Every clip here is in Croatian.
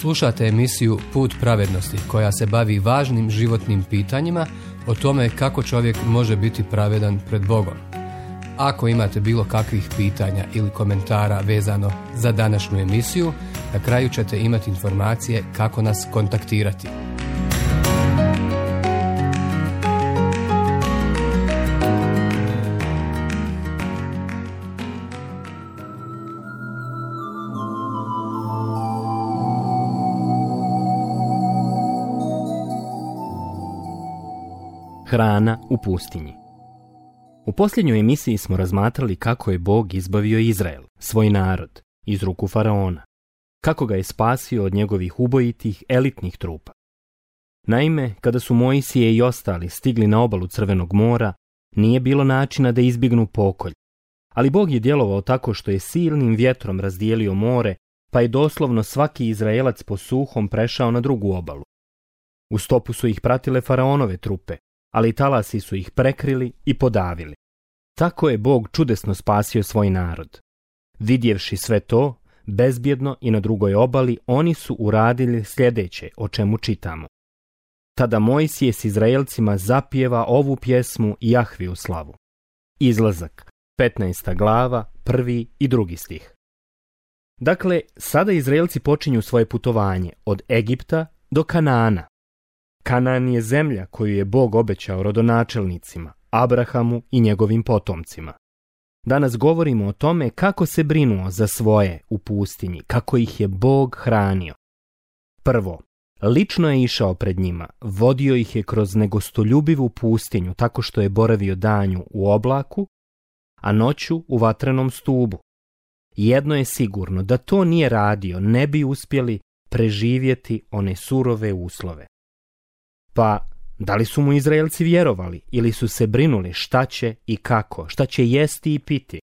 Slušate emisiju Put pravednosti koja se bavi važnim životnim pitanjima o tome kako čovjek može biti pravedan pred Bogom. Ako imate bilo kakvih pitanja ili komentara vezano za današnju emisiju, na kraju ćete imati informacije kako nas kontaktirati. Hrana u pustinji. U posljednjoj emisiji smo razmatrali kako je Bog izbavio Izrael, svoj narod, iz ruku faraona, kako ga je spasio od njegovih ubojitih, elitnih trupa. Naime, kada su Mojsije i ostali stigli na obalu Crvenog mora, nije bilo načina da izbjegnu pokolj, ali Bog je djelovao tako što je silnim vjetrom razdijelio more, pa je doslovno svaki Izraelac po suhom prešao na drugu obalu. U stopu su ih pratile faraonove trupe, ali talasi su ih prekrili i podavili. Tako je Bog čudesno spasio svoj narod. Vidjevši sve to, bezbjedno i na drugoj obali, oni su uradili sljedeće, o čemu čitamo. Tada Mojsije s Izraelcima zapjeva ovu pjesmu Jahviju slavu. Izlazak, 15. glava, 1. i 2. stih. Dakle, sada Izraelci počinju svoje putovanje od Egipta do Kanaana. Kanaan je zemlja koju je Bog obećao rodonačelnicima, Abrahamu i njegovim potomcima. Danas govorimo o tome kako se brinuo za svoje u pustinji, kako ih je Bog hranio. Prvo, lično je išao pred njima, vodio ih je kroz negostoljubivu pustinju tako što je boravio danju u oblaku, a noću u vatrenom stubu. Jedno je sigurno, da to nije radio, ne bi uspjeli preživjeti one surove uslove. Pa, da li su mu Izraelci vjerovali ili su se brinuli šta će i kako, šta će jesti i piti?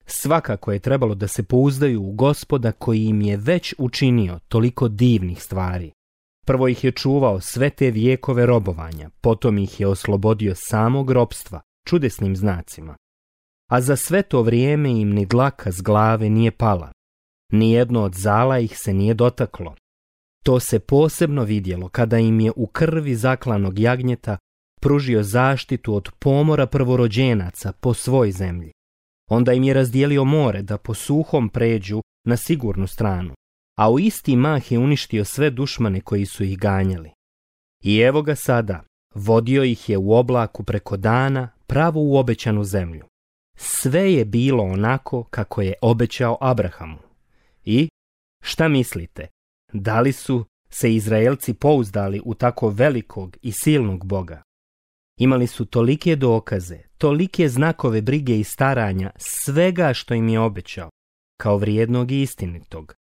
Svakako je trebalo da se pouzdaju u Gospoda koji im je već učinio toliko divnih stvari. Prvo ih je čuvao sve te vjekove robovanja, potom ih je oslobodio samog ropstva, čudesnim znacima. A za sve to vrijeme im ni dlaka s glave nije pala. Nijedno od zala ih se nije dotaklo. To se posebno vidjelo kada im je u krvi zaklanog jagnjeta pružio zaštitu od pomora prvorođenaca po svoj zemlji. Onda im je razdijelio more da po suhom pređu na sigurnu stranu, a u isti mah je uništio sve dušmane koji su ih ganjali. I evo ga sada, vodio ih je u oblaku preko dana pravo u obećanu zemlju. Sve je bilo onako kako je obećao Abrahamu. I, šta mislite? Da li su se Izraelci pouzdali u tako velikog i silnog Boga? Imali su tolike dokaze, tolike znakove brige i staranja, svega što im je obećao, kao vrijednog i istinitog.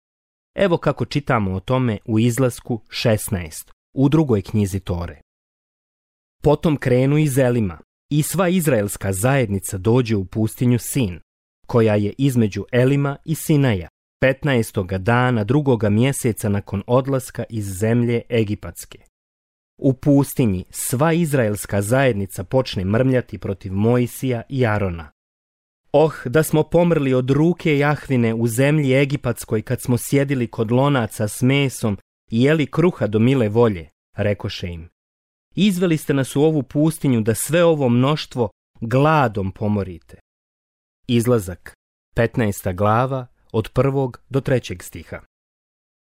Evo kako čitamo o tome u Izlasku 16, u 2. knjizi Tore. Potom krenu iz Elima i sva izraelska zajednica dođe u pustinju Sin, koja je između Elima i Sinaja, 15. dana 2. mjeseca nakon odlaska iz zemlje Egipatske. U pustinji sva izraelska zajednica počne mrmljati protiv Mojsija i Arona. Oh, da smo pomrli od ruke Jahvine u zemlji Egipatskoj kad smo sjedili kod lonaca s mesom i jeli kruha do mile volje, rekoše im. Izveli ste nas u ovu pustinju da sve ovo mnoštvo gladom pomorite. Izlazak, 15. glava, od 1. do 3. stiha.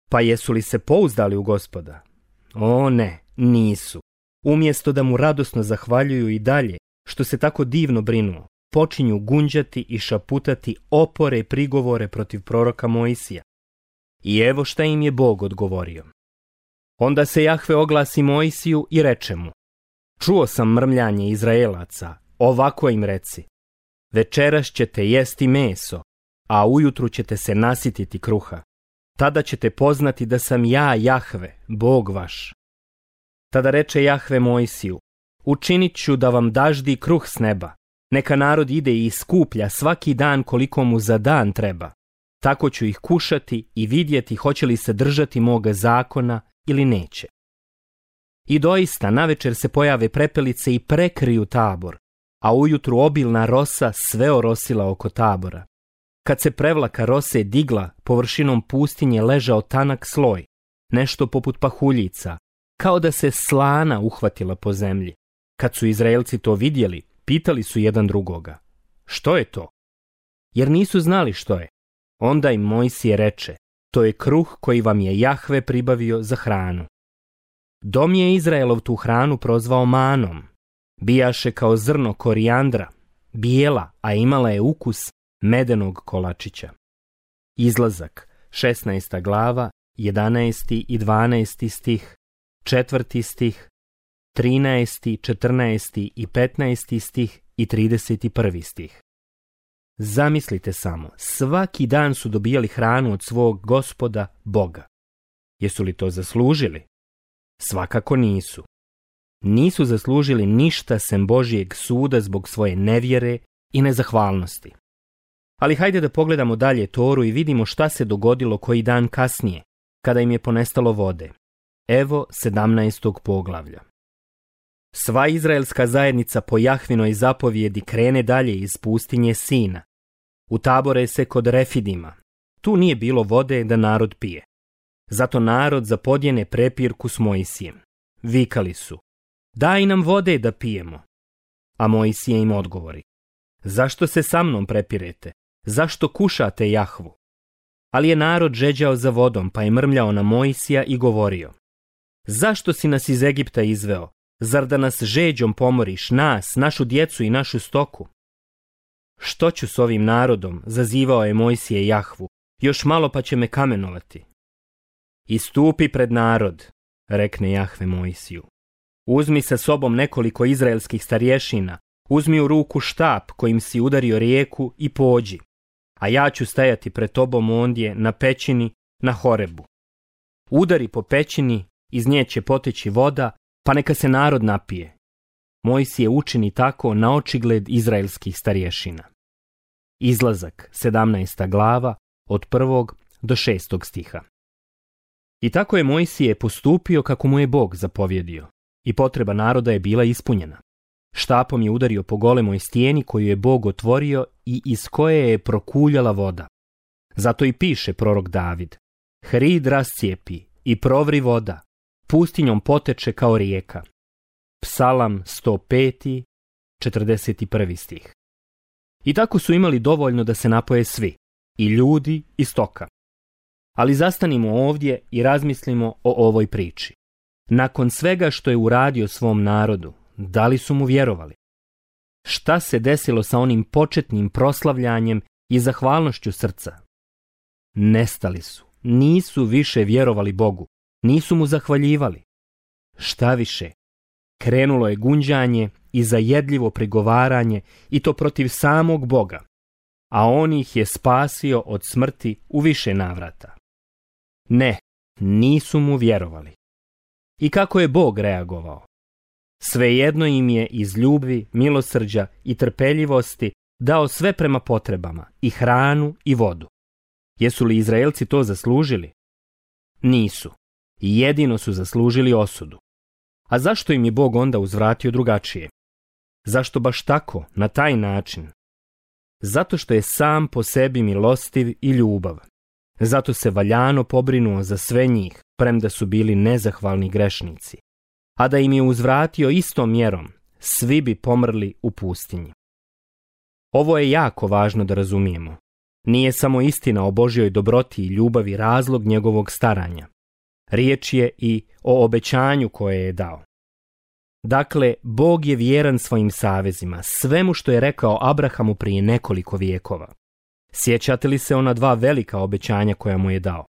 Pa jesu li se pouzdali u Gospoda? O ne, nisu. Umjesto da mu radosno zahvaljuju i dalje, što se tako divno brinuo, počinju gunđati i šaputati opore i prigovore protiv proroka Mojsija. I evo šta im je Bog odgovorio. Onda se Jahve oglasi Mojsiju i reče mu: Čuo sam mrmljanje Izraelaca, ovako im reci: Večeras ćete jesti meso, a ujutru ćete se nasititi kruha. Tada ćete poznati da sam ja Jahve, Bog vaš. Tada reče Jahve Mojsiju: Učinit ću da vam daždi kruh s neba. Neka narod ide i skuplja svaki dan koliko mu za dan treba. Tako ću ih kušati i vidjeti hoće li se držati moga zakona ili neće. I doista navečer se pojave prepelice i prekriju tabor, a ujutru obilna rosa sve orosila oko tabora. Kad se prevlaka rose digla, površinom pustinje ležao tanak sloj, nešto poput pahuljica, kao da se slana uhvatila po zemlji. Kad su Izraelci to vidjeli, pitali su jedan drugoga: što je to? Jer nisu znali što je. Onda im Mojsije reče: to je kruh koji vam je Jahve pribavio za hranu. Dom je Izraelov tu hranu prozvao manom. Bijaše kao zrno korijandra, bijela, a imala je ukus medenog kolačića. Izlazak, 16. glava, 11. i 12. stih, 4. stih, 13., 14. i 15. stih i 31. stih. Zamislite samo, svaki dan su dobijali hranu od svog Gospoda Boga. Jesu li to zaslužili? Svakako nisu. Nisu zaslužili ništa sem Božijeg suda zbog svoje nevjere i nezahvalnosti. Ali hajde da pogledamo dalje Toru i vidimo šta se dogodilo koji dan kasnije, kada im je ponestalo vode. Evo 17. poglavlja. Sva izraelska zajednica po Jahvinoj zapovjedi krene dalje iz pustinje Sina. Utabore se kod Refidima. Tu nije bilo vode da narod pije. Zato narod zapodjene prepirku s Mojsijem. Vikali su: daj nam vode da pijemo. A Mojsije im odgovori: zašto se sa mnom prepirete? Zašto kušate Jahvu? Ali je narod žeđao za vodom, pa je mrmljao na Mojsija i govorio: zašto si nas iz Egipta izveo? Zar da nas žeđom pomoriš, nas, našu djecu i našu stoku? Što ću s ovim narodom? Zazivao je Mojsije Jahvu. Još malo pa će me kamenovati. Istupi pred narod, rekne Jahve Mojsiju. Uzmi sa sobom nekoliko izraelskih starješina, uzmi u ruku štap kojim si udario rijeku i pođi, a ja ću stajati pred tobom ondje na pećini na Horebu. Udari po pećini, iz nje će poteći voda, pa neka se narod napije. Mojsije učini tako na očigled izraelskih starješina. Izlazak, 17. glava, od 1. do 6. stiha. I tako je Mojsije postupio kako mu je Bog zapovjedio, i potreba naroda je bila ispunjena. Štapom je udario po golemoj stijeni koju je Bog otvorio i iz koje je prokuljala voda. Zato i piše prorok David: hrid rascijepi i provri voda, pustinjom poteče kao rijeka. Psalam 105. 41. stih. I tako su imali dovoljno da se napoje svi, i ljudi i stoka. Ali zastanimo ovdje i razmislimo o ovoj priči. Nakon svega što je uradio svom narodu, da li su mu vjerovali? Šta se desilo sa onim početnim proslavljanjem i zahvalnošću srca? Nestali su, nisu više vjerovali Bogu, nisu mu zahvaljivali. Šta više, krenulo je gunđanje i zajedljivo prigovaranje, i to protiv samog Boga, a on ih je spasio od smrti u više navrata. Ne, nisu mu vjerovali. I kako je Bog reagovao? Svejedno im je iz ljubavi, milosrđa i trpeljivosti dao sve prema potrebama, i hranu i vodu. Jesu li Izraelci to zaslužili? Nisu. Jedino su zaslužili osudu. A zašto im je Bog onda uzvratio drugačije? Zašto baš tako, na taj način? Zato što je sam po sebi milostiv i ljubav. Zato se valjano pobrinuo za sve njih, premda su bili nezahvalni grešnici. A da im je uzvratio istom mjerom, svi bi pomrli u pustinji. Ovo je jako važno da razumijemo. Nije samo istina o Božjoj dobroti i ljubavi razlog njegovog staranja. Riječ je i o obećanju koje je dao. Dakle, Bog je vjeran svojim savezima, svemu što je rekao Abrahamu prije nekoliko vijekova. Sjećate li se ona dva velika obećanja koja mu je dao?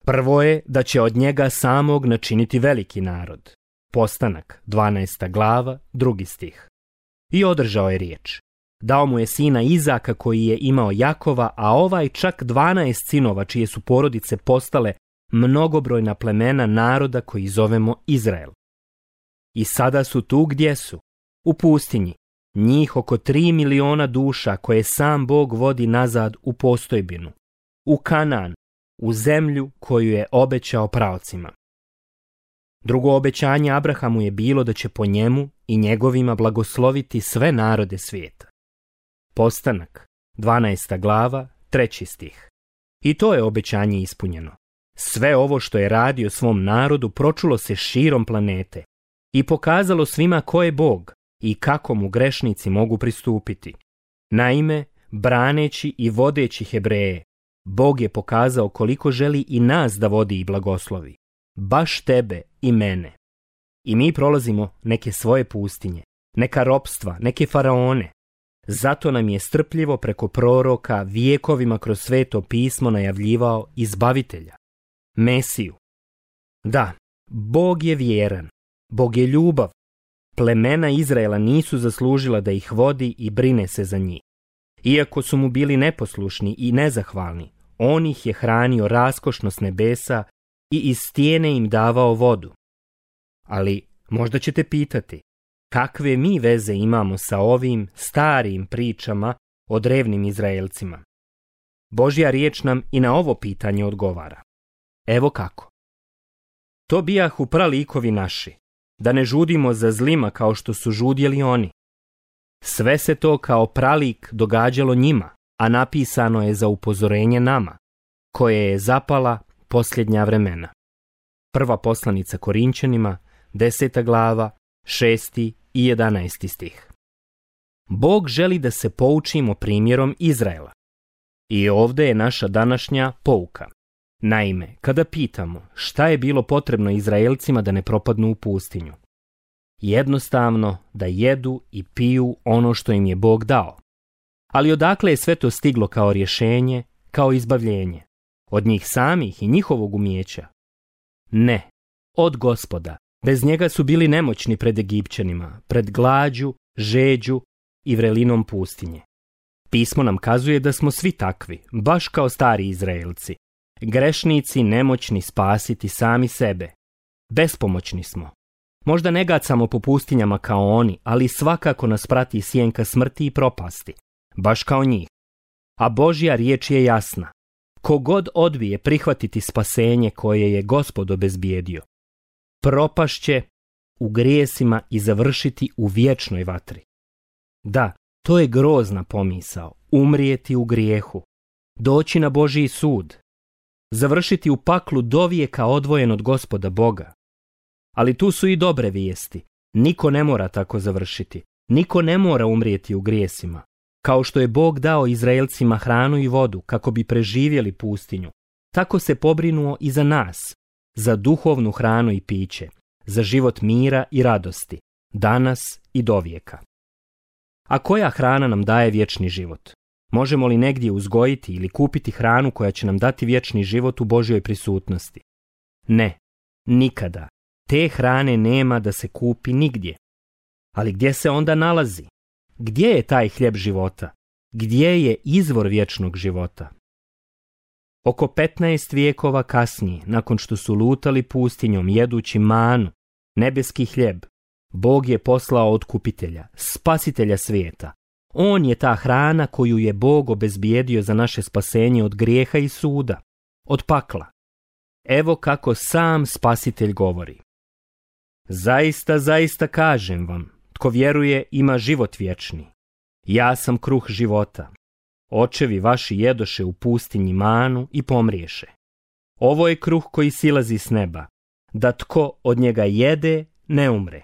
Prvo je da će od njega samog načiniti veliki narod. Postanak, 12. glava, 2. stih. I održao je riječ. Dao mu je sina Izaka koji je imao Jakova, a ovaj čak 12 sinova čije su porodice postale mnogobrojna plemena naroda koji zovemo Izrael. I sada su tu gdje su, u pustinji, njih oko 3 miliona duša koje sam Bog vodi nazad u postojbinu, u Kanaan, u zemlju koju je obećao praocima. Drugo obećanje Abrahamu je bilo da će po njemu i njegovima blagosloviti sve narode svijeta. Postanak, 12. glava, 3. stih. I to je obećanje ispunjeno. Sve ovo što je radio svom narodu pročulo se širom planete i pokazalo svima ko je Bog i kako mu grešnici mogu pristupiti. Naime, braneći i vodeći Hebreje, Bog je pokazao koliko želi i nas da vodi i blagoslovi. Baš tebe i mene. I mi prolazimo neke svoje pustinje, neka ropstva, neke faraone. Zato nam je strpljivo preko proroka vijekovima kroz Sveto pismo najavljivao izbavitelja, Mesiju. Da, Bog je vjeran, Bog je ljubav. Plemena Izraela nisu zaslužila da ih vodi i brine se za njih. Iako su mu bili neposlušni i nezahvalni, on ih je hranio raskošno s nebesa i iz stijene im davao vodu. Ali možda ćete pitati, kakve mi veze imamo sa ovim starijim pričama o drevnim Izraelcima? Božja riječ nam i na ovo pitanje odgovara. Evo kako. To bijahu pralikovi naši, da ne žudimo za zlima kao što su žudjeli oni. Sve se to kao pralik događalo njima, a napisano je za upozorenje nama, koje je zapala posljednja vremena. Prva poslanica Korinćanima, 10. glava, 6. i 11. stih. Bog želi da se poučimo primjerom Izraela. I ovdje je naša današnja pouka. Naime, kada pitamo šta je bilo potrebno Izraelcima da ne propadnu u pustinju, jednostavno da jedu i piju ono što im je Bog dao. Ali odakle je sve to stiglo kao rješenje, kao izbavljenje? Od njih samih i njihovog umijeća? Ne, od Gospoda. Bez njega su bili nemoćni pred Egipćanima, pred glađu, žeđu i vrelinom pustinje. Pismo nam kazuje da smo svi takvi, baš kao stari Izraelci. Grešnici nemoćni spasiti sami sebe. Bespomoćni smo. Možda ne gacamo po pustinjama kao oni, ali svakako nas prati sjenka smrti i propasti, baš kao njih. A Božja riječ je jasna. Kogod odbije prihvatiti spasenje koje je Gospod obezbijedio, propašće u grijesima i završiti u vječnoj vatri. Da, to je grozna pomisao, umrijeti u grijehu, doći na Božji sud, završiti u paklu dovijeka odvojen od Gospoda Boga. Ali tu su i dobre vijesti. Niko ne mora tako završiti. Niko ne mora umrijeti u grijesima. Kao što je Bog dao Izraelcima hranu i vodu kako bi preživjeli pustinju, tako se pobrinuo i za nas, za duhovnu hranu i piće, za život mira i radosti, danas i dovijeka. A koja hrana nam daje vječni život? Možemo li negdje uzgojiti ili kupiti hranu koja će nam dati vječni život u Božjoj prisutnosti? Ne, nikada. Te hrane nema da se kupi nigdje. Ali gdje se onda nalazi? Gdje je taj hljeb života? Gdje je izvor vječnog života? Oko 15 vijekova kasnije, nakon što su lutali pustinjom jedući manu, nebeski hljeb, Bog je poslao otkupitelja, spasitelja svijeta. On je ta hrana koju je Bog obezbijedio za naše spasenje od grijeha i suda, od pakla. Evo kako sam spasitelj govori. Zaista, zaista kažem vam, tko vjeruje ima život vječni. Ja sam kruh života. Očevi vaši jedoše u pustinji manu i pomriješe. Ovo je kruh koji silazi s neba, da tko od njega jede ne umre.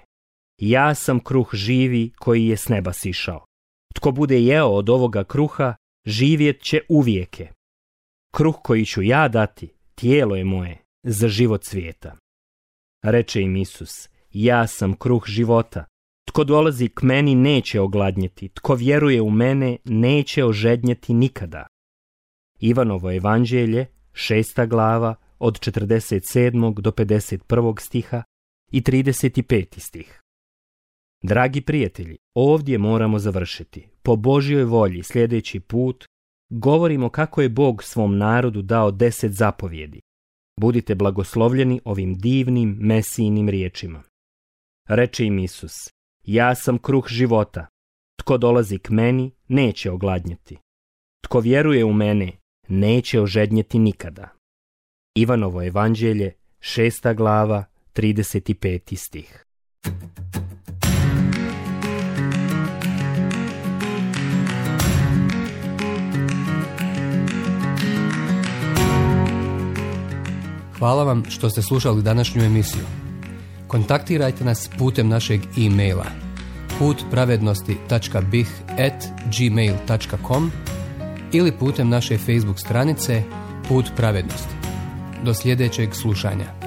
Ja sam kruh živi koji je s neba sišao. Tko bude jeo od ovoga kruha, živjet će uvijeke. Kruh koji ću ja dati, tijelo je moje, za život svijeta. Reče im Isus, ja sam kruh života. Tko dolazi k meni neće ogladnjeti, tko vjeruje u mene neće ožednjeti nikada. Ivanovo evanđelje, 6. glava, od 47. do 51. stiha i 35. stih. Dragi prijatelji, ovdje moramo završiti. Po Božjoj volji sljedeći put govorimo kako je Bog svom narodu dao 10 zapovjedi. Budite blagoslovljeni ovim divnim Mesijinim riječima. Reče im Isus, ja sam kruh života. Tko dolazi k meni neće ogladnjeti. Tko vjeruje u mene neće ožednjeti nikada. Ivanovo evanđelje, 6. glava, 35. stih. Hvala vam što ste slušali današnju emisiju. Kontaktirajte nas putem našeg e-maila putpravednosti.bih@gmail.com ili putem naše Facebook stranice Put pravednosti. Do sljedećeg slušanja.